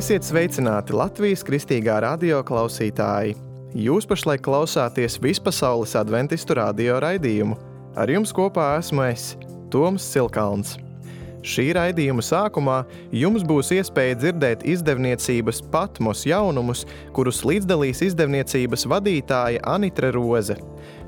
Esiet sveicināti Latvijas Kristīgā radio klausītāji! Jūs pašlaik klausāties Vispasaules adventistu radio raidījumu. Ar jums kopā esmu es, Toms Silkalns. Šī raidījuma sākumā jums būs iespēja dzirdēt izdevniecības Patmos jaunumus, kurus līdzdalīs izdevniecības vadītāja Anitre Roze.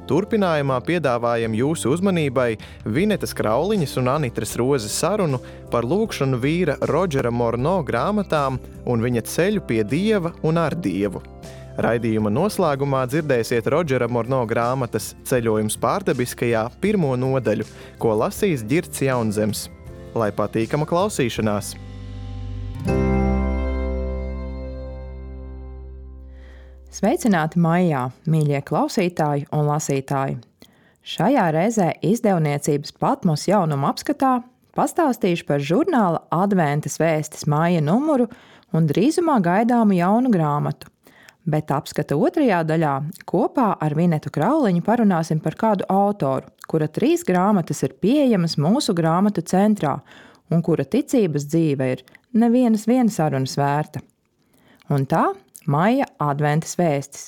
Turpinājumā piedāvājam jūsu uzmanībai Vinetas Krauliņas un Anitres Rozes sarunu par lūgšanu vīra Rodžera Morno grāmatām un viņa ceļu pie Dieva un ar Dievu. Raidījuma noslēgumā dzirdēsiet Rodžera Morno grāmatas Ceļojums pārdabiskajā 1. nodaļu, ko lasīs Ģirds Jaunzems. Lai patīkama klausīšanās! Sveicināti maijā, mīļie klausītāji un lasītāji! Šajā reizē izdevniecības Patmos jaunuma apskatā pastāstīšu par žurnāla Adventas vēstis maija numuru un drīzumā gaidāmu jaunu grāmatu. Bet apskata otrajā daļā kopā ar Vinetu Krauliņu parunāsim par kādu autoru, kura 3 grāmatas ir pieejamas mūsu grāmatu centrā un kura ticības dzīve ir nevienas sarunas vērta. Un tā maija adventas vēstis.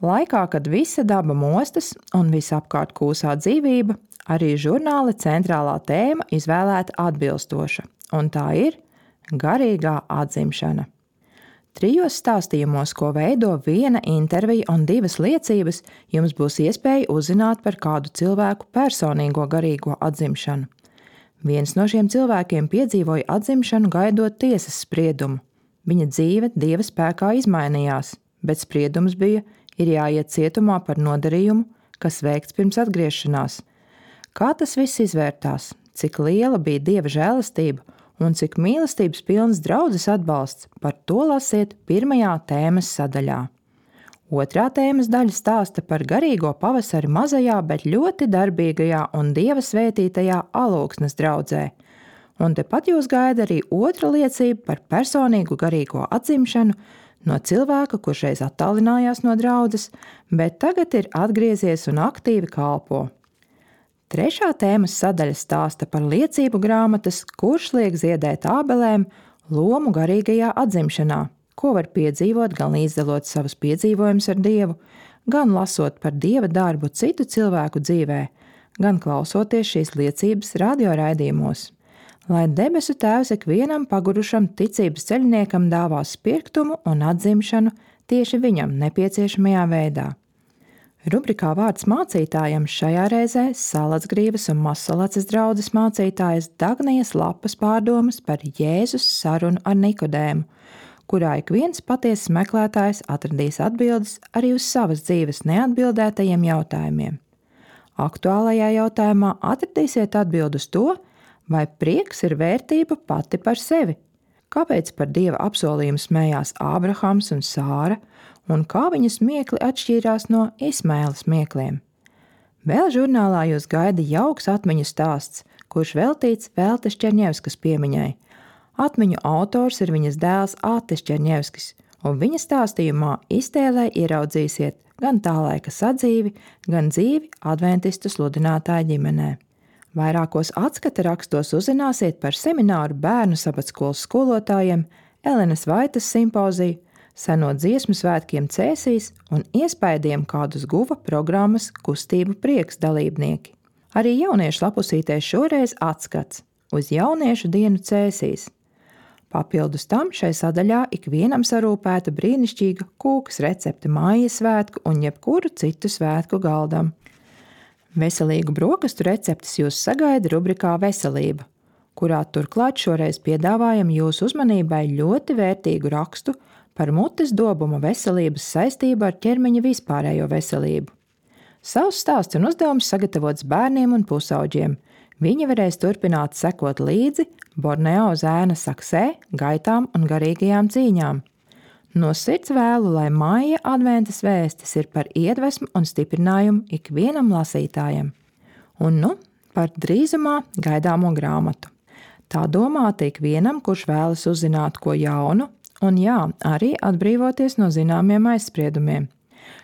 Laikā, kad visa daba mostas un visapkārt kūsā dzīvība, arī žurnāla centrālā tēma izvēlēta atbilstoša, un tā ir garīgā atzimšana. 3 stāstījumos, ko veido 1 intervija un 2 liecības, jums būs iespēja uzzināt par kādu cilvēku personīgo garīgo atzimšanu. Viens no šiem cilvēkiem piedzīvoja atzimšanu gaidot tiesas spriedumu. Viņa dzīve Dieva spēkā izmainījās, bet spriedums bija, ir jāiet cietumā par nodarījumu, kas veikts pirms atgriešanās. Kā tas viss izvērtās, cik liela bija Dieva žēlastība un cik mīlestības pilns draudzes atbalsts, par to lasiet 1. tēmas sadaļā. 2. tēmas daļa stāsta par garīgo pavasari mazajā, bet ļoti darbīgajā un Dieva svētītajā Alūksnes draudzē. Un tepat jūs gaida arī 2. liecība par personīgu garīgo atzimšanu no cilvēka, kurš reiz attālinājās no draudzes, bet tagad ir atgriezies un aktīvi kalpo. 3. tēmas sadaļa stāsta par liecību grāmatas, kurš liek ziedēt ābelēm, lomu garīgajā atzimšanā, ko var piedzīvot gan līdzdalot savus piedzīvojumus ar Dievu, gan lasot par Dieva darbu citu cilvēku dzīvē, gan klausoties šīs liecības radioraidījumos. Lai debesu Tēvs ikvienam pagurušam ticības ceļniekam dāvā spirktumu un atzimšanu tieši viņam nepieciešamajā veidā. Rubrikā vārds mācītājam šajā reizē Salacgrīvas un Mazsalacas draudzes mācītājas Dagnijas Lapas pārdomas par Jēzus sarunu ar Nikodēmu, kurā ik viens patiesas meklētājs atradīs atbildes arī uz savas dzīves neatbildētajiem jautājumiem. Aktuālajā jautājumā atradīsiet atbildi uz to, vai prieks ir vērtība pati par sevi? Kāpēc par Dieva apsolījumu smējās Ābrahams un Sāra, un kā viņas smiekli atšķīrās no Ismaela smiekliem? Vēl žurnālā jūs gaida jauks atmiņu stāsts, kurš veltīts Veltes Čerņevskas piemiņai. Atmiņu autors ir viņas dēls Ātis Čerņevskis, un viņa stāstījumā iztēlē ieraudzīsiet gan tā laika sadzīvi, gan dzīvi adventistu sludinātāju ģimenē. Vairākos atskata rakstos uzzināsiet par semināru bērnu sabatskolas skolotājiem, Elenes Vaitas simpoziju, seno dziesmu svētkiem Cēsīs un iespaidiem, kādus guva programmas Kustību prieks dalībnieki. Arī jauniešu lapusītē šoreiz atskats uz jauniešu dienu Cēsīs. Papildus tam šai sadaļā ikvienam sarūpēta brīnišķīga kūkas recepte mājas svētku un jebkuru citu svētku galdam. Veselīgu brokastu receptes jūs sagaida rubrikā Veselība, kurā turklāt šoreiz piedāvājam jūsu uzmanībai ļoti vērtīgu rakstu par mutes dobuma veselības saistību ar ķermeņa vispārējo veselību. Savs stāsts un uzdevums sagatavots bērniem un pusauģiem. Viņi varēs turpināt sekot līdzi Borneo zēna saksē, gaitām un garīgajām cīņām. No sirds vēlu, lai maija adventas vēstis ir par iedvesmu un stiprinājumu ikvienam lasītājam. Un par drīzumā gaidāmo grāmatu. Tā domāta ikvienam, kurš vēlas uzzināt ko jaunu, un arī atbrīvoties no zināmiem aizspriedumiem.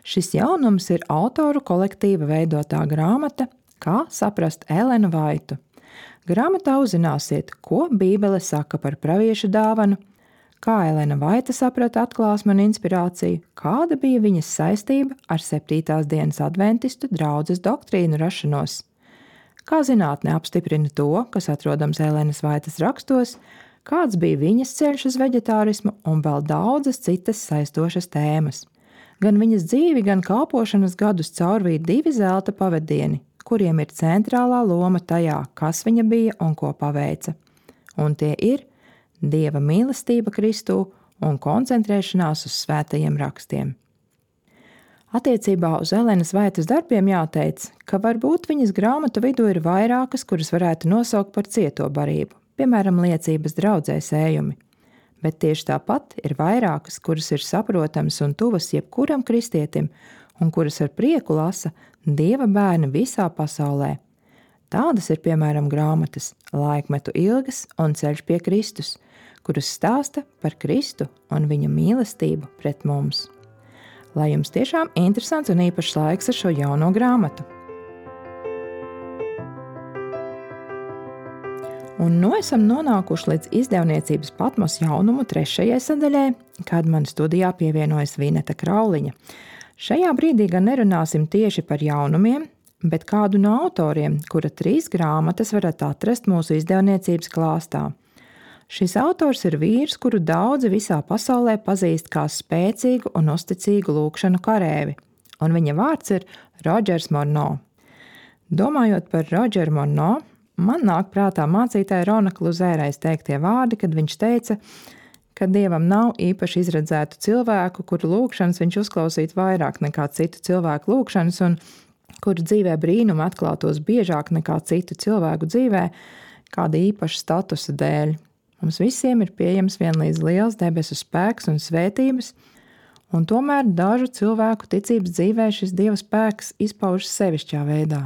Šis jaunums ir autoru kolektīva veidotā grāmata Kā saprast Elenu Vaitu. Grāmatā uzzināsiet, ko Bībele saka par praviešu dāvanu, kā Elena Vaita saprata atklāsmi un inspirāciju, kāda bija viņas saistība ar 7. dienas adventistu draudzes doktrīnu rašanos, kā zinātne apstiprina to, kas atrodams Elenas Vaitas rakstos, kāds bija viņas ceļš uz veģetārismu un vēl daudzas citas saistošas tēmas. Gan viņas dzīvi, gan kalpošanas gadus caurvīja 2 zelta pavadieni, kuriem ir centrālā loma tajā, kas viņa bija un ko paveica. Un tie ir Dieva mīlestība Kristū un koncentrēšanās uz svētajiem rakstiem. Attiecībā uz Elenas Vaitas darbiem jāteic, ka varbūt viņas grāmatu vidū ir vairākas, kuras varētu nosaukt par cieto barību, piemēram, liecības draudzē sējumi. Bet tieši tāpat ir vairākas, kuras ir saprotamas un tuvas jebkuram kristietim, un kuras ar prieku lasa Dieva bērni visā pasaulē. Tādas ir, piemēram, grāmatas Laikmetu ilgas un Ceļš pie Kristus, kuras stāsta par Kristu un viņa mīlestību pret mums. Lai jums tiešām interesants un īpašs laiks ar šo jauno grāmatu! Un esam nonākuši līdz izdevniecības Patmos jaunumu 3. sadaļai, kad man studijā pievienojas Vineta Krauliņa. Šajā brīdī gan nerunāsim tieši par jaunumiem, bet kādu no autoriem, kura 3 grāmatas varat atrast mūsu izdevniecības klāstā. Šis autors ir vīrs, kuru daudzi visā pasaulē pazīst kā spēcīgu un uzticīgu lūgšanu karēvi, un viņa vārds ir Rodžers Morno. Domājot par Rodžeru Morno, man nāk prātā mācītāja Rona Kluzērais teiktie vārdi, kad viņš teica, ka Dievam nav īpaši izredzētu cilvēku, kuru lūgšanas viņš uzklausītu vairāk nekā citu cilvēku lūgšanas un kuru dzīvē brīnumi atklātos biežāk nekā citu cilvēku dzīvē kāda īpaša statusa dēļ. Mums visiem ir pieejams vienlīdz liels debesu spēks un svētības, un tomēr dažu cilvēku ticības dzīvē šis Dieva spēks izpaužas sevišķā veidā.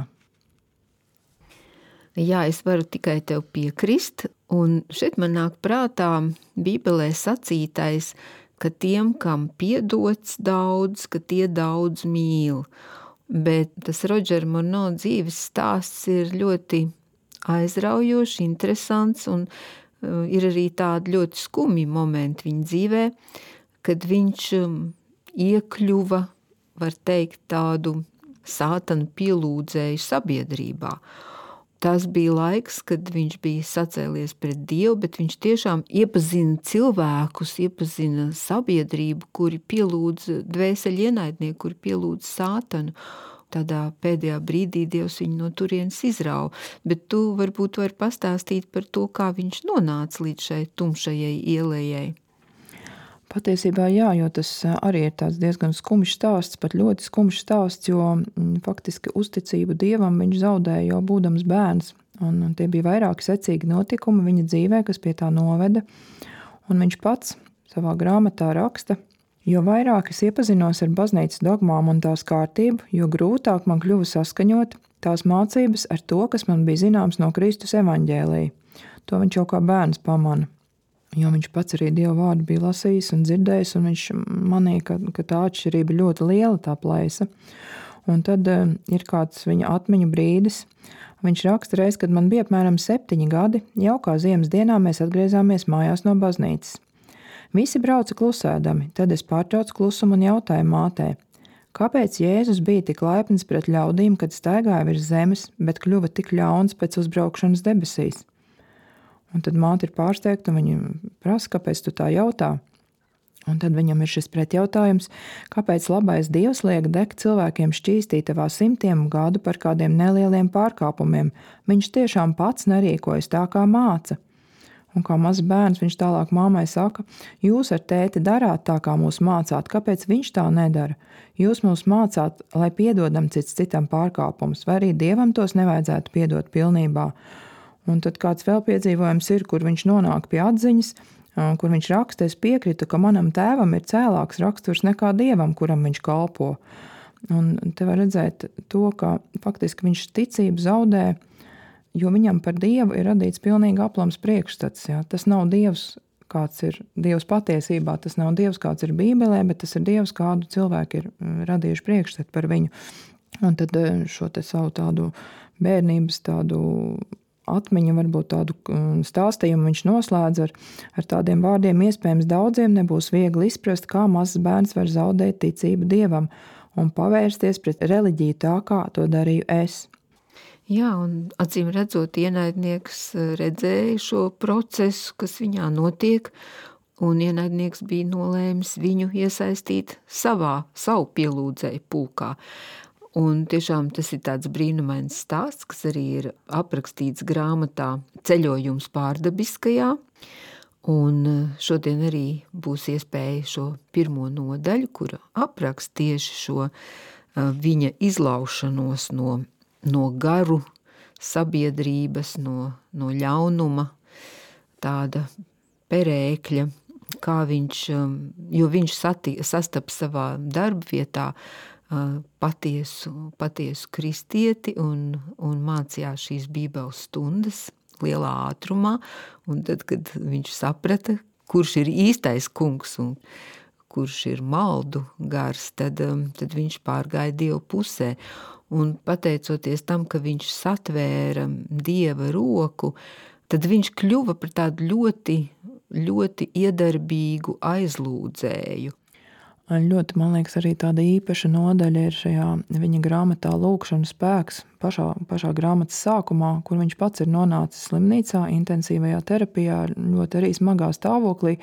Jā, es varu tikai tev piekrist, un šeit man nāk prātā Bībelē sacītais, ka tiem, kam piedots daudz, ka tie daudz mīl. Bet tas Rodžera Morno dzīves stāsts ir ļoti aizraujošs, interesants, un ir arī tādi ļoti skumji momenti viņa dzīvē, kad viņš iekļuva, var teikt, tādu sātanu pielūdzēju sabiedrībā. Tas bija laiks, kad viņš bija sacēlies pret Dievu, bet viņš tiešām iepazina cilvēkus, iepazina sabiedrību, kuri pielūdz dvēseli ienaidnieku, kuri pielūdz sātanu. Tādā pēdējā brīdī Dievs viņu no turienes izrauja. Bet tu varbūt vari pastāstīt par to, kā viņš nonāca līdz šai tumšajai ielējai. Patiesībā jā, jo tas arī ir tāds diezgan skumjš stāsts, pat ļoti skumjš stāsts, jo faktiski uzticību Dievam viņš zaudēja jau būdams bērns. Un tie bija vairāki secīgi notikumi viņa dzīvē, kas pie tā noveda. Un viņš pats savā grāmatā raksta, jo vairāk es iepazinos ar baznīcas dogmām un tās kārtību, jo grūtāk man kļuva saskaņot tās mācības ar to, kas man bija zināms no Kristus evaņģēlija. To viņš jau kā bērns pamana. Jo viņš pats arī Dieva vārdu bija lasījis un dzirdējis, un viņš manīja, ka tā atšķirība ļoti liela, tā plaisa. Un tad ir kāds viņa atmiņu brīdis. Viņš raksta reiz, kad man bija apmēram 7 gadi, jaukā ziemas dienā mēs atgriezāmies mājās no baznīcas. Visi brauca klusēdami, tad es pārtraucu klusumu un jautāju mātei, kāpēc Jēzus bija tik laipns pret ļaudīm, kad staigāja virs zemes, bet kļuva tik ļauns pēc uzbraukšanas debesīs? Un tad māte ir pārsteigta, un viņa prasa, kāpēc tu tā jautā. Un tad viņam ir šis pretjautājums, kāpēc labais Dievs liek degt cilvēkiem šķīstītavā 100 gadu par kādiem nelieliem pārkāpumiem. Viņš tiešām pats nerīkojas tā, kā māca. Un kā mazs bērns viņš tālāk māmai saka, jūs ar tēti darāt tā, kā mūs mācāt, kāpēc viņš tā nedara? Jūs mūs mācāt, lai piedodam cits citam pārkāpumus, vai arī Dievam tos nevajadzētu piedot pilnībā. Un tad kāds vēl piedzīvojums ir, kur viņš nonāk pie atziņas, kur viņš raksta, es piekritu, ka manam tēvam ir cēlāks raksturs nekā Dievam, kuram viņš kalpo. Un te var redzēt to, ka faktiski viņš ticību zaudē, jo viņam par Dievu ir radīts pilnīgi aplams priekšstats. Jā. Tas nav Dievs, kāds ir Dievs patiesībā, tas nav Dievs, kāds ir Bībelē, bet tas ir Dievs, kādu cilvēki ir radījuši priekšstatu par viņu. Un tad šo te savu tādu bērnības tādu atmiņu, varbūt tādu stāstījumu viņš noslēdz ar tādiem vārdiem: iespējams daudziem nebūs viegli izprast, kā mazs bērns var zaudēt ticību Dievam un pavērsties pret reliģiju tā, kā to darīju es. Jā, un acīm redzot, ienaidnieks redzēja šo procesu, kas viņā notiek, un ienaidnieks bija nolēmis viņu iesaistīt savu pielūdzēju pulkā. Un tiešām tas ir tāds brīnumains stāsts, kas arī ir aprakstīts grāmatā Ceļojums pārdabiskajā. Un šodien arī būs iespēja šo pirmo nodaļu, kura apraksta tieši šo viņa izlaušanos no garu sabiedrības, no ļaunuma, tāda perēkļa, kā viņš, jo viņš sastapa savā darba vietā patiesu kristieti un mācījās šīs bībeles stundas lielā ātrumā, un tad, kad viņš saprata, kurš ir īstais kungs un kurš ir maldu gars, tad viņš pārgāja Dievu pusē. Un pateicoties tam, ka viņš satvēra Dieva roku, tad viņš kļuva par tādu ļoti, ļoti iedarbīgu aizlūdzēju. Ļoti, man liekas, arī tāda īpaša nodaļa ir šajā viņa grāmatā Lūkšanu spēks, pašā grāmatas sākumā, kur viņš pats ir nonācis slimnīcā, intensīvajā terapijā, ļoti arī smagā stāvoklī,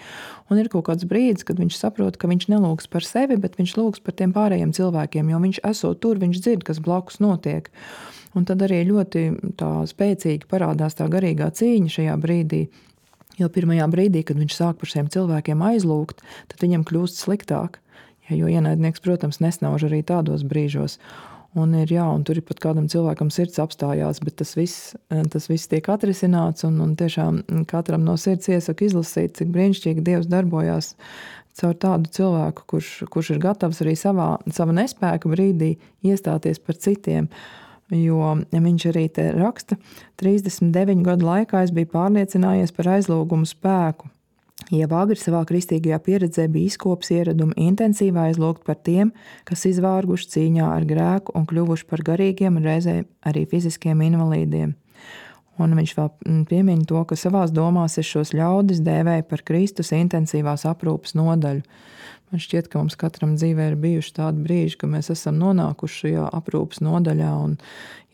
un ir kaut kāds brīdis, kad viņš saprot, ka viņš nelūgs par sevi, bet viņš lūgs par tiem pārējiem cilvēkiem, jo viņš esot tur, viņš dzird, kas blakus notiek. Un tad arī ļoti tā spēcīgi parādās tā garīgā cīņa šajā brīdī, jo pirmajā brīdī, kad viņš sāk par šiem cilvēkiem aizlūgt, tad viņam kļūst sliktāk. Jo ienaidnieks, protams, nesnauž arī tādos brīžos. Un tur ir pat kādam cilvēkam sirds apstājās, bet tas viss tiek atrisināts, un tiešām katram no sirds iesaku izlasīt, cik brīnišķīgi Dievs darbojās caur tādu cilvēku, kurš ir gatavs arī sava nespēka brīdī iestāties par citiem. Jo viņš arī te raksta: 39 gadu laikā es biju pārliecinājies par aizlūgumu spēku. Jau agri savā kristīgajā pieredzē bija izkops ieradumu intensīvi aizlūgt par tiem, kas izvārguši cīņā ar grēku un kļuvuši par garīgiem un reizē arī fiziskiem invalīdiem. Un viņš vēl piemin to, ka savās domās es šos ļaudis dēvēju par Kristus intensīvās aprūpes nodaļu. Man šķiet, ka mums katram dzīvē ir bijuši tādi brīži, ka mēs esam nonākuši šajā aprūpes nodaļā, un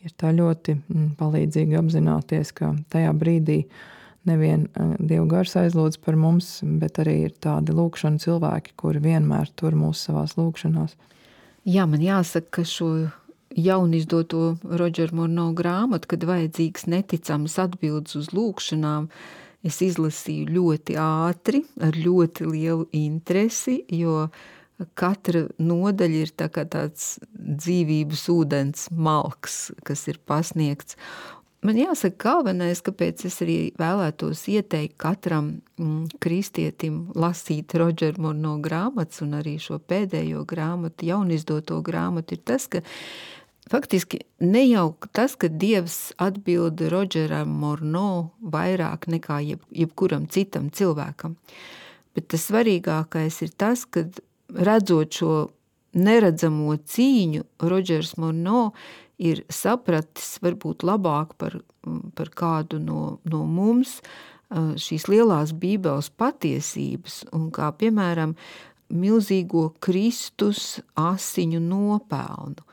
ir tā ļoti palīdzīgi apzināties, ka tajā brīdī nevien Dieva gars aizlūdz par mums, bet arī ir tādi lūkšana cilvēki, kuri vienmēr tur mūs savās lūkšanās. Jā, man jāsaka, ka šo jaunizdoto Rodžera Morno grāmatu, kad vajadzīgs neticamas atbildes uz lūkšanām, es izlasīju ļoti ātri, ar ļoti lielu interesi, jo katra nodaļa ir tā kā tāds dzīvības ūdens malks, kas ir pasniegts. Man jāsaka, galvenais, kāpēc es arī vēlētos ieteikt katram kristietim lasīt Rodžera Morno grāmatas un arī šo pēdējo grāmatu, jaunizdoto grāmatu, ir tas, ka faktiski ne jau tas, ka Dievs atbild Rodžeram Morno vairāk nekā jebkuram citam cilvēkam, bet tas svarīgākais ir tas, ka redzot šo neredzamo cīņu, Rodžers Morno ir sapratis varbūt labāk par kādu no mums šīs lielās bībeles patiesības, un kā piemēram milzīgo Kristus asiņu nopelnu.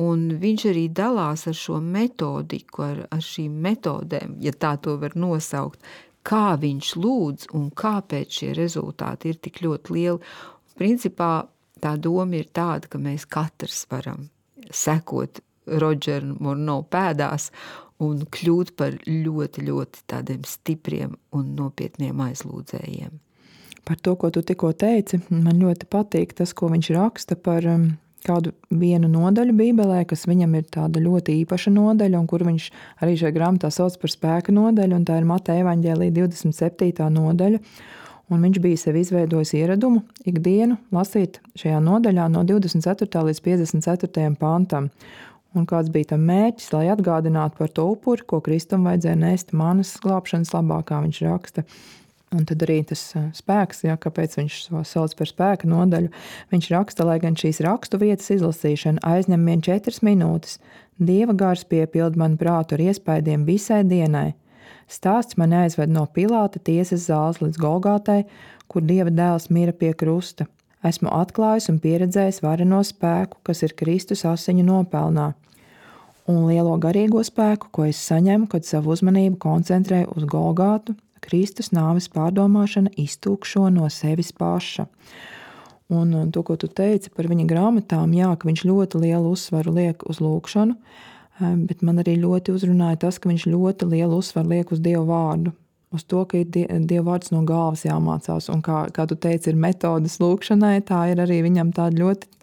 Un viņš arī dalās ar šo metodiku, ar šīm metodēm, ja tā to var nosaukt, kā viņš lūdz un kāpēc šie rezultāti ir tik ļoti lieli. Principā tā doma ir tāda, ka mēs katrs varam sekot Rodžera Morno pēdās un kļūt par ļoti, ļoti tādiem stipriem un nopietniem aizlūdzējiem. Par to, ko tu tikko teici, man ļoti patīk tas, ko viņš raksta par kādu vienu nodaļu Bībelē, kas viņam ir tāda ļoti īpaša nodaļa, un kur viņš arī šajā grāmatā sauc par spēka nodaļu, un tā ir Mateja evaņģēlija 27. nodaļa. Un viņš bija sev izveidojis ieradumu ikdienu lasīt šajā nodaļā no 24. līdz 54. pantam. Un kāds bija tam mērķis, lai atgādinātu par to upuri, ko Kristum vajadzēja nest manas glābšanas labā, kā viņš raksta. Un tad arī tas spēks, kāpēc viņš to sauc par spēka nodaļu, viņš raksta, lai gan šīs rakstu vietas izlasīšana aizņem vien 4 minūtes, Dieva gars piepild manu prātu ar iespaidiem visai dienai. Stāsts mani aizved no Pilāta tiesas zāles līdz Golgātai, kur Dieva dēls mira pie krusta. Esmu atklājis un pieredzējis vareno spēku, kas ir Kristus asiņu nopelnā, un lielo garīgo spēku, ko es saņemu, kad savu uzmanību koncentrēju uz Golgātu, Kristus nāves pārdomāšana iztūkšo no sevis paša. Un to, ko tu teici par viņa grāmatām, ka viņš ļoti lielu uzsvaru liek uz lūkšanu, bet man arī ļoti uzrunāja tas, ka viņš ļoti lielu uzsvaru liek uz Dievu vārdu, uz to, ka ir Dieva vārds no galvas jāmācās. Un kā tu teici, ir metodas lūkšanai, tā ir arī viņam tāda ļoti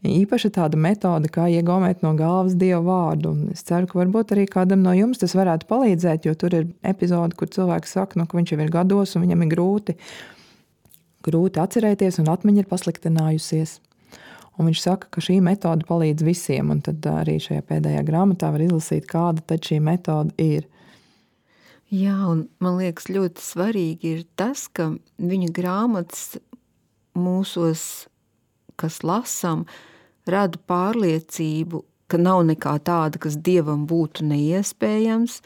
īpaša tāda metode, kā iegaumēt no galvas Dieva vārdu. Un es ceru, ka varbūt arī kādam no jums tas varētu palīdzēt, jo tur ir epizode, kur cilvēks saka, ka viņš jau ir gados un viņam ir grūti atcerēties un atmiņa ir pasliktinājusies. Un viņš saka, ka šī metode palīdz visiem, un tad arī šajā pēdējā grāmatā var izlasīt, kāda tad šī metode ir. Jā, un man liekas ļoti svarīgi ir tas, ka viņa grāmatas mūsos, kas lasām, rada pārliecību, ka nav nekā tāda, kas Dievam būtu neiespējams.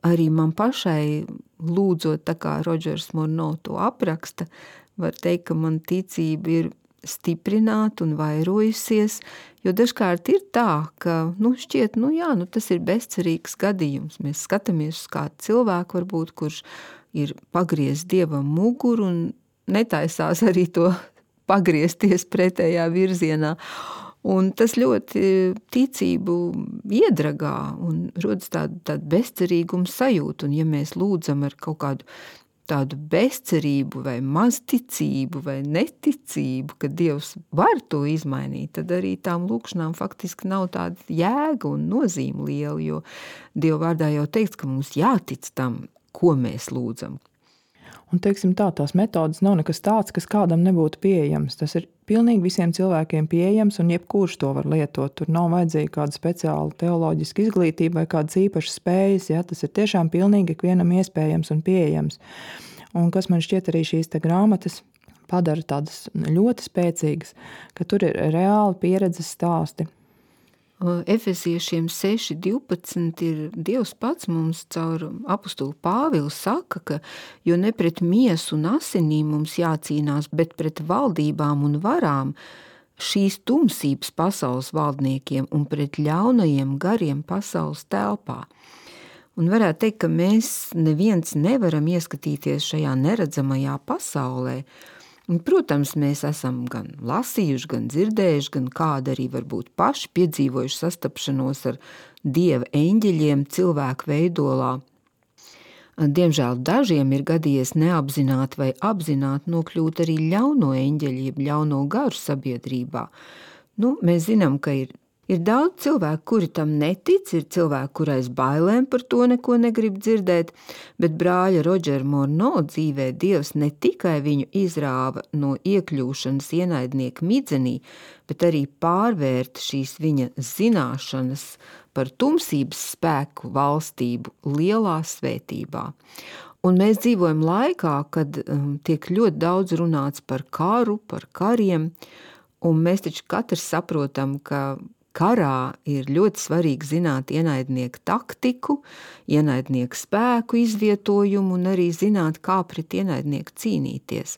Arī man pašai lūdzot, tā kā Rodžers Morno to apraksta, var teikt, ka man ticība ir stiprināta un vairojusies, jo dažkārt ir tā, ka šķiet, tas ir bezcerīgs gadījums. Mēs skatāmies uz kādu cilvēku, varbūt, kurš ir pagriezis Dievam muguru un netaisās arī to pagriezties pretējā virzienā. Un tas ļoti ticību iedragā un rodas tāda bezcerīguma sajūta. Un ja mēs lūdzam ar kaut kādu tādu bezcerību vai mazticību vai neticību, ka Dievs var to izmainīt, tad arī tām lūkšanām faktiski nav tāda jēga un nozīme liela, jo Dieva vārdā jau teikts, ka mums jātic tam, ko mēs lūdzam. Un, teiksim tā, tās metodas nav nekas tāds, kas kādam nebūtu pieejams. Tas ir pilnīgi visiem cilvēkiem pieejams, un jebkurš to var lietot. Tur nav vajadzīga kāda speciāla teoloģiska izglītība vai kādas īpašas spējas. Tas ir tiešām pilnīgi ikvienam iespējams un pieejams. Un kas man šķiet arī šīs te grāmatas padara tādas ļoti spēcīgas, ka tur ir reāli pieredzes stāsti. Efesiešiem 6.12 ir Dievs pats mums caur apostulu Pāvilu saka, ka jo ne pret miesu un asinīm mums jācīnās, bet pret valdībām un varām, šīs tumsības pasaules valdniekiem un pret ļaunajiem gariem pasaules telpā. Un varētu teikt, ka mēs neviens nevaram ieskatīties šajā neredzamajā pasaulē. Un, protams, mēs esam gan lasījuši, gan dzirdējuši, gan kādi arī varbūt paši piedzīvojuši sastapšanos ar Dieva eņģeļiem cilvēku veidolā. Diemžēl dažiem ir gadījies neapzināti vai apzināti nokļūt arī ļauno eņģeļu, jeb ļauno garu sabiedrībā. Mēs zinām, ka ir daudz cilvēku, kuri tam netic, ir cilvēki, kur aiz bailēm par to neko negrib dzirdēt, bet brāļa Rodžera Morno dzīvē Dievs ne tikai viņu izrāva no iekļūšanas ienaidnieka midzenī, bet arī pārvērta šīs viņa zināšanas par tumsības spēku valstību lielā svētībā. Un mēs dzīvojam laikā, kad tiek ļoti daudz runāts par karu, par kariem, un mēs taču katrs saprotam, ka karā ir ļoti svarīgi zināt ienaidnieku taktiku, ienaidnieku spēku izvietojumu un arī zināt, kā pret ienaidnieku cīnīties.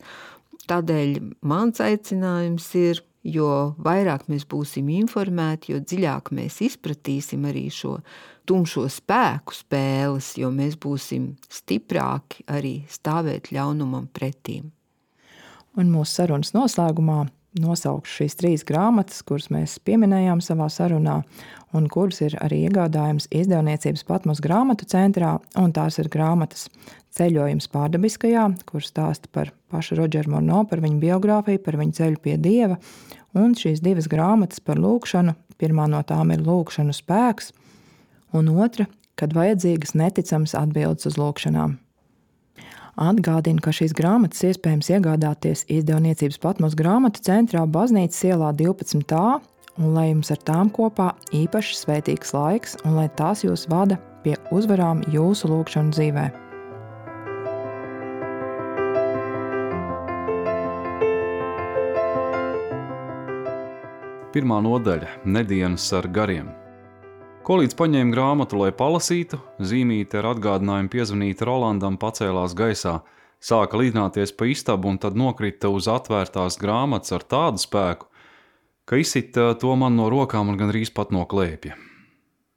Tādēļ mans aicinājums ir, jo vairāk mēs būsim informēti, jo dziļāk mēs izpratīsim arī šo tumšo spēku spēles, jo mēs būsim stiprāki arī stāvēt ļaunumam pretīm. Un mūsu sarunas noslēgumā nosaukšu šīs 3 grāmatas, kuras mēs pieminējām savā sarunā, un kuras ir arī iegādājams izdevniecības Patmos grāmatu centrā, un tās ir grāmatas Ceļojums pārdabiskajā, kur stāsta par pašu Rodžeru Morno, par viņu biogrāfiju, par viņu ceļu pie Dieva, un šīs 2 grāmatas par lūkšanu. Pirmā no tām ir Lūkšanu spēks, un otra, kad vajadzīgas neticamas atbildes uz lūkšanām. Atgādinu, ka šīs grāmatas iespējams iegādāties izdevniecības Patmos grāmatu centrā Baznīcas ielā 12a, un lai jums ar tām kopā īpaši svētīgs laiks, un lai tās jūs vada pie uzvarām jūsu lūkšanu dzīvē. Pirmā nodaļa – Nedienas ar gariem. Kolīdz paņēma grāmatu, lai palasītu, zīmīte ar atgādinājumu piezvanīt Rolandam pacēlās gaisā, sāka līdināties pa istabu un tad nokrita uz atvērtās grāmatas ar tādu spēku, ka izsita to man no rokām un gandrīz pat no klēpja.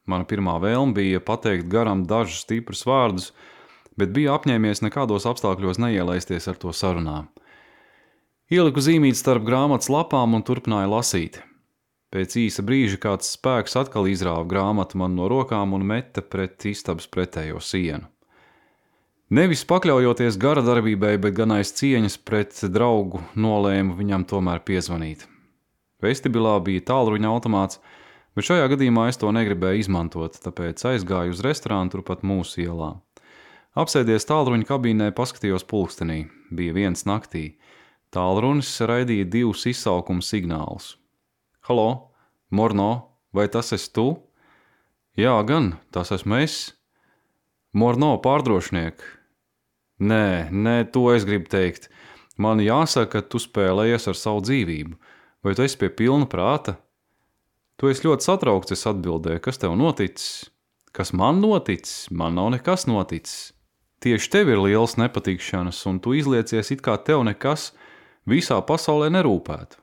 Mana pirmā vēlme bija pateikt garam dažus stiprus vārdus, bet bija apņēmies nekādos apstākļos neielaisties ar to sarunā. Ieliku zīmīt starp grāmatas lapām un turpināju lasīt. Pēc īsa brīža kāds spēks atkal izrāva grāmatu man no rokām un meta pret istabas pretējo sienu. Nevis pakļaujoties gara darbībai, bet gan aiz cieņas pret draugu nolēmu viņam tomēr piezvanīt. Vestibilā bija tālruņa automāts, bet šajā gadījumā es to negribēju izmantot, tāpēc aizgāju uz restorānu turpat mūsu ielā. Apsēdies tālruņa kabīnē, paskatījos pulkstenī. Bija 1 naktī. Tālrunis raidīja 2 izsaukuma signālus. Halo, Morno, vai tas esi tu? Jā, gan, tas esmu es. Morno, pārdrošiniek. Nē, to es gribu teikt. Man jāsaka, ka tu spēlējies ar savu dzīvību. Vai tu esi pie pilna prāta? Tu esi ļoti satraukts, es atbildēju. Kas tev noticis? Kas man noticis? Man nav nekas noticis. Tieši tev ir liels nepatikšanas, un tu izliecies it kā tev nekas visā pasaulē nerūpētu.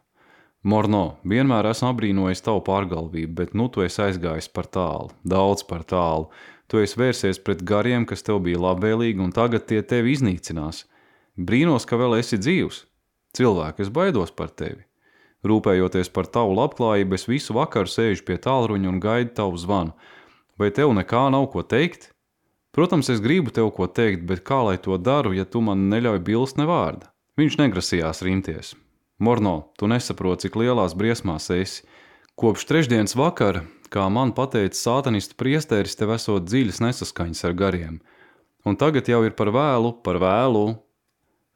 Morno, vienmēr esmu apbrīnojis tavu pārgalvību, bet nu tu esi aizgājis par tālu, daudz par tālu. Tu esi vērsies pret gariem, kas tev bija labvēlīgi, un tagad tie tevi iznīcinās. Brīnos, ka vēl esi dzīvs. Cilvēki, es baidos par tevi. Rūpējoties par tavu labklājību, es visu vakaru sēžu pie tālruņa un gaidu tavu zvanu. Vai tev nekā nav ko teikt? Protams, es gribu tev ko teikt, bet kā lai to daru, ja tu man neļauj bilst ne vārda? Viņš negrasījās rimties. Morno, tu nesaproti, cik lielās briesmās esi. Kopš trešdienas vakara, kā man pateica sātanistu priesteris, tev esot dziļas nesaskaņas ar gariem. Un tagad jau ir par vēlu.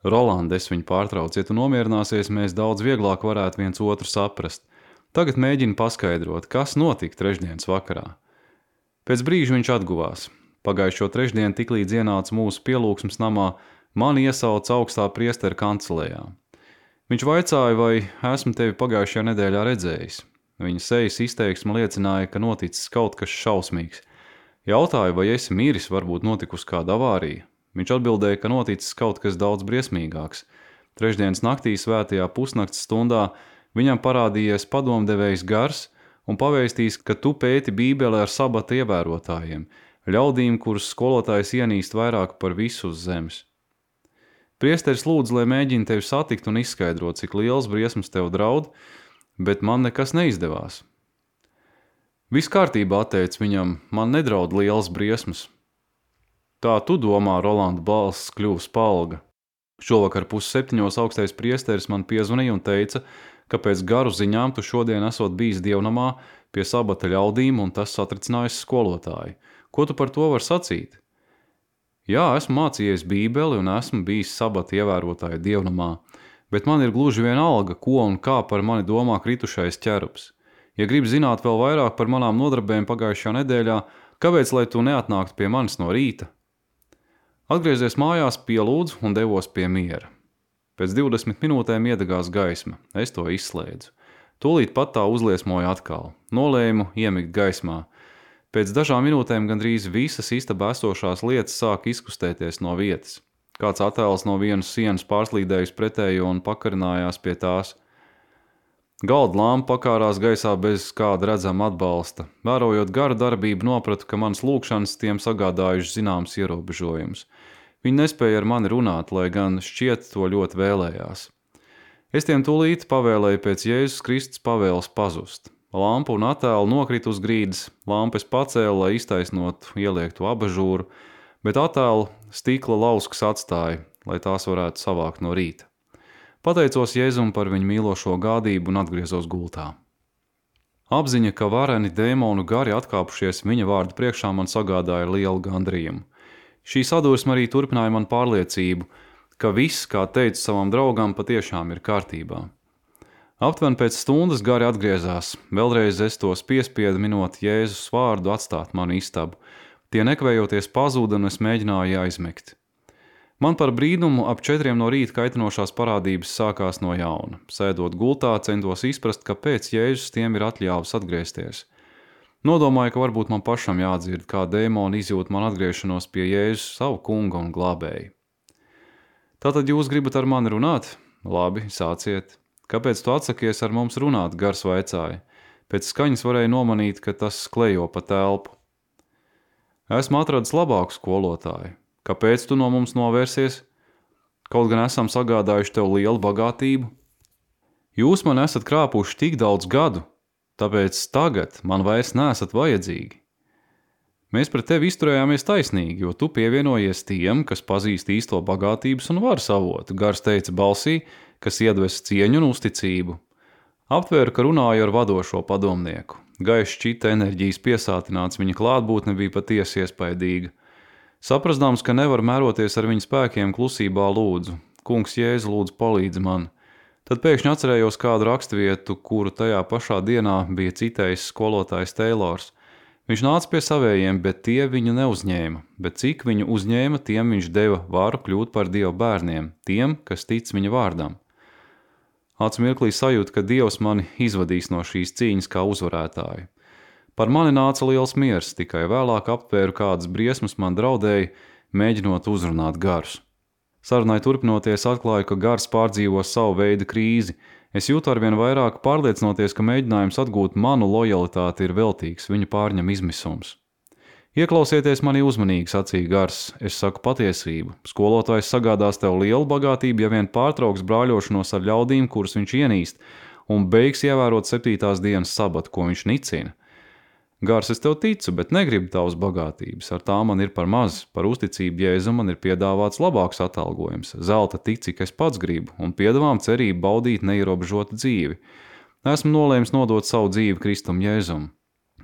Roland, es viņu pārtraucu, ja tu nomierināsies, mēs daudz vieglāk varētu viens otru saprast. Tagad mēģini paskaidrot, kas notika trešdienas vakarā. Pēc brīža viņš atguvās. Pagājušo trešdienu tiklīdz ienāca mūsu pielūgsmes namā, mani iesauca augstā priestera kancelējā. Viņš vaicāja, vai esmu tevi pagājušajā nedēļā redzējis. Viņa sejas izteiksme liecināja, ka noticis kaut kas šausmīgs. Jautāja, vai esi miris, varbūt notikusi kāda avārija. Viņš atbildēja, ka noticis kaut kas daudz briesmīgāks. Trešdienas naktī svētajā pusnakts stundā viņam parādījies padomdevējs gars un pavēstījis, ka tu pēti Bībeli ar sabata ievērotājiem, ļaudīm, kurus skolotājs ienīst vairāk par visu uz zemes. Priesteris lūdz, lai mēģina tevi satikt un izskaidrot, cik liels briesmas tev draud, bet man nekas neizdevās. Viss kārtībā, atteica viņam, man nedraud liels briesmas. Tā tu domā, Rolanda balss kļuva spalga. Šovakar 6:30 augstais priesteris man piezvanīja un teica, ka pēc garu ziņām tu šodien esot bijis dievnamā pie sabata ļaudīm un tas satricinājis skolotāju. Ko tu par to var sacīt? Jā, esmu mācījies Bībeli un esmu bijis sabata ievērotāja dievnamā, bet man ir gluži vienalga, ko un kā par mani domā kritušais ķerups. Ja gribi zināt vēl vairāk par manām nodarbēm pagājušajā nedēļā, kāpēc lai tu neatnāktu pie manis no rīta? Atgriezies mājās, pielūdzu un devos pie miera. Pēc 20 minūtēm iedegās gaisma, es to izslēdzu. Tūlīt pat tā uzliesmoja atkal, nolēmu iemigt gaismā. Pēc dažām minūtēm gandrīz visas istabā esošās lietas sāka izkustēties no vietas. Kāds attēls no vienas sienas pārslīdējis pretējo un pakarinājās pie tās. Galda lampa pakārās gaisā bez kāda redzama atbalsta. Vērojot garu darbību, nopratu, ka manas lūkšanas tiem sagādājuši zināms ierobežojums. Viņi nespēja ar mani runāt, lai gan šķiet to ļoti vēlējās. Es tiem tūlīt pavēlēju pēc Jēzus Kristus pavēles pazust. Lampa un attēlu nokrita uz grīdas, lampu es pacēlu, lai iztaisnotu ieliektu abažūru, bet attēlu stikla lauskas atstāja, lai tās varētu savākt no rīta. Pateicos Jēzum par viņu mīlošo gādību un atgriezos gultā. Apziņa, ka vareni dēmonu gari atkāpušies viņa vārdu priekšā man sagādāja lielu gandrījumu. Šī sadursme arī turpināja man pārliecību, ka viss, kā teicu savam draugam, patiešām ir kārtībā. Aptuveni pēc stundas gari atgriezās. Vēlreiz es tos piespiedu minot Jēzus vārdu atstāt manu istabu. Tie nekavējoties pazuda un es mēģināju aizmigt. Man par brīnumu ap 4 no rīta kaitinošās parādības sākās no jauna. Sēdot gultā, centos izprast, kāpēc Jēzus tiem ir atļāvis atgriezties. Nodomāju, ka varbūt man pašam jādzird, kā dēmoni izjūt man atgriešanos pie Jēzus savu kunga un glābēju. Tātad jūs gribat ar mani runāt? Labi, sāciet. Kāpēc tu atsakies ar mums runāt, Gars vaicāja? Pēc skaņas varēja nomanīt, ka tas klejo pa telpu. Esmu atradis labāku skolotāju. Kāpēc tu no mums novērsies? Kaut gan esam sagādājuši tev lielu bagātību. Jūs man esat krāpuši tik daudz gadu, tāpēc tagad man vairs neesat vajadzīgi. Mēs pret tevi izturējāmies taisnīgi, jo tu pievienojies tiem, kas pazīst īsto bagātības un varas avotu, Gars teica balsī, kas iedves cieņu un uzticību. Aptvēru, ka runāju ar vadošo padomnieku. Gaišs šķita enerģijas piesātināts, viņa klātbūtne bija patiesi iespaidīga. Saprasdams, ka nevar mēroties ar viņa spēkiem, klusībā lūdzu. Kungs Jēzu, lūdzu palīdzi man. Tad pēkšņi atcerējos kādu raksturvietu, kuru tajā pašā dienā bija citējis skolotājs Teilors. Viņš nāca pie savējiem, bet tie viņu neuzņēma, bet cik viņu uzņēma, tiem viņš deva varu kļūt par Dieva bērniem, tiem, kas tic viņa vārdam. Acu mirklī sajūta, ka Dievs mani izvadīs no šīs cīņas kā uzvarētāju. Par mani nāca liels miers, tikai vēlāk aptvēru, kādas briesmas man draudēja, mēģinot uzrunāt Garus. Sarunai turpinoties atklāju, ka Gars pārdzīvo savu veidu krīzi. Es jūtu arvien vairāk pārliecinoties, ka mēģinājums atgūt manu lojalitāti ir veltīgs, viņu pārņem izmisums. Ieklausieties mani uzmanīgi, sacīja Gars, es saku patiesību. Skolotājs sagādās tev lielu bagātību, ja vien pārtrauks brāļošanos ar ļaudīm, kurus viņš ienīst, un beigs ievērot 7. dienas sabatu, ko viņš nicina. Gars, es tev ticu, bet negribu tavas bagātības, ar tā man ir par maz, par uzticību Jēzum man ir piedāvāts labāks atalgojums, zelta tik, cik es pats gribu, un piedāvām cerību baudīt neierobežotu dzīvi. Esmu nolēmis nodot savu dzīvi Kristum Jēzum.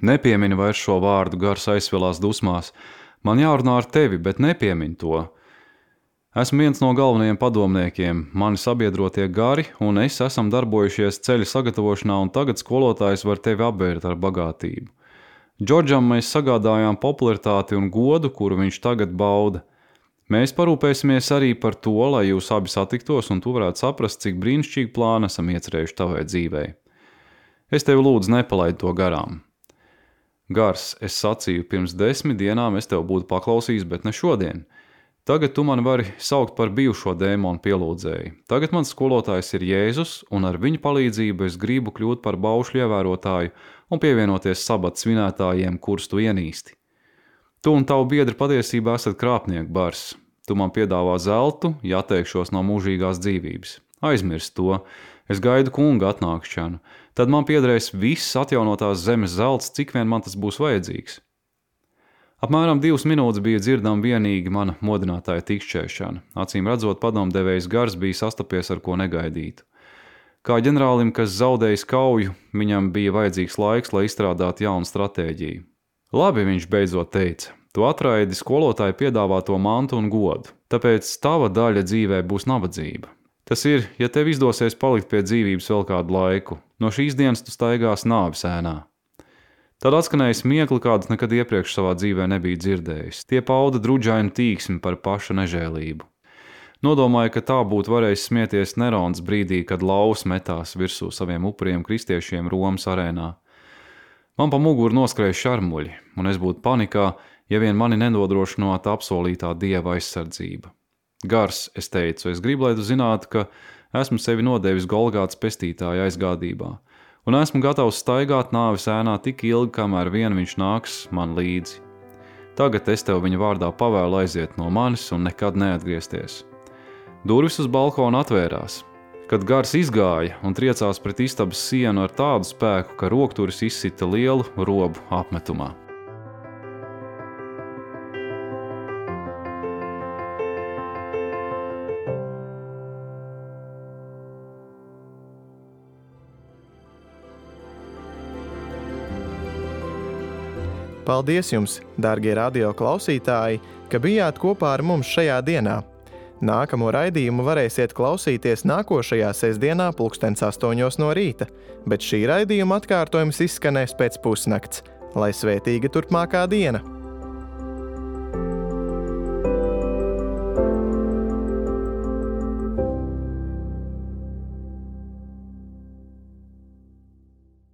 Nepiemini vairs šo vārdu, Gars aizsvilās dusmās. Man jārunā ar tevi, bet nepiemini to. Esmu viens no galvenajiem padomniekiem, mani sabiedrotie Gari, un es esam darbojušies ceļa sagatavošanā, un tagad skolotājs var tevi apbērt ar bagātību. Džordžam mēs sagādājām popularitāti un godu, kuru viņš tagad bauda. Mēs parūpēsimies arī par to, lai jūs abi satiktos, un tu varētu saprast, cik brīnišķīgi plānu esam iecerējuši tavai dzīvei. Es tevi lūdzu nepalaid to garām. Gars, es sacīju, pirms 10 dienām es tev būtu paklausījis, bet ne šodien. Tagad tu mani vari saukt par bijušo dēmonu pielūdzēju. Tagad mans skolotājs ir Jēzus, un ar viņa palīdzību es gribu kļūt par baušļu ievērotāju un pievienoties sabata svinētājiem, kurus tu ienīsti. Tu un tavu biedri patiesībā esat krāpnieku bars. Tu man piedāvā zeltu, ja atteikšos no mūžīgās dzīvības. Aizmirst to, es gaidu kunga atnākšanu. Tad man piederēs viss atjaunotās zemes zelts, cik vien man tas būs vajadzīgs. Apmēram 2 minūtes bija dzirdama vienīgi mana modinātāja tikšķēšana. Acīm redzot, padomdevējs Gars bija sastapies ar ko negaidītu. Kā ģenerālim, kas zaudējis kauju, viņam bija vajadzīgs laiks, lai izstrādātu jaunu stratēģiju. Labi, viņš beidzot teica, tu atraidi skolotāju piedāvāto mantu un godu, tāpēc tava daļa dzīvē būs nabadzība. Tas ir, ja tev izdosies palikt pie dzīvības vēl kādu laiku, no šīs dienas tu staigās nāves ēnā. Tad atskanēja smiekli, kādus nekad iepriekš savā dzīvē nebija dzirdējis. Tie pauda druģainu tīksmi par paša nežēlību. Nodomāju, ka tā būtu varējis smieties Nerons brīdī, kad laus metās virsū saviem upuriem kristiešiem Romas arēnā. Man pa muguru noskrēja šarmuļi, un es būtu panikā, ja vien mani nenodrošinātu apsolītā Dieva aizsardzība. Gars, es teicu, es gribu, lai tu zinātu, ka esmu sevi nodevis Golgātas pestītāja aizgādībā, un esmu gatavs staigāt nāves ēnā tik ilgi, kamēr vien viņš nāks man līdzi. Tagad es tev viņa vārdā pavēlu aiziet no manis un nekad neatgriezties. Durvis uz balkonu atvērās. Kad Gars izgāja un triecās pret istabas sienu ar tādu spēku, ka rokturis izsita lielu robu apmetumā. Paldies jums, dārgie radio klausītāji, ka bijāt kopā ar mums šajā dienā. Nākamo raidījumu varēsiet klausīties nākošajā sestdienā 8:00 no rīta, bet šī raidījuma atkārtojums izskanēs pēc pusnakts. Lai svētīga turpmākā diena!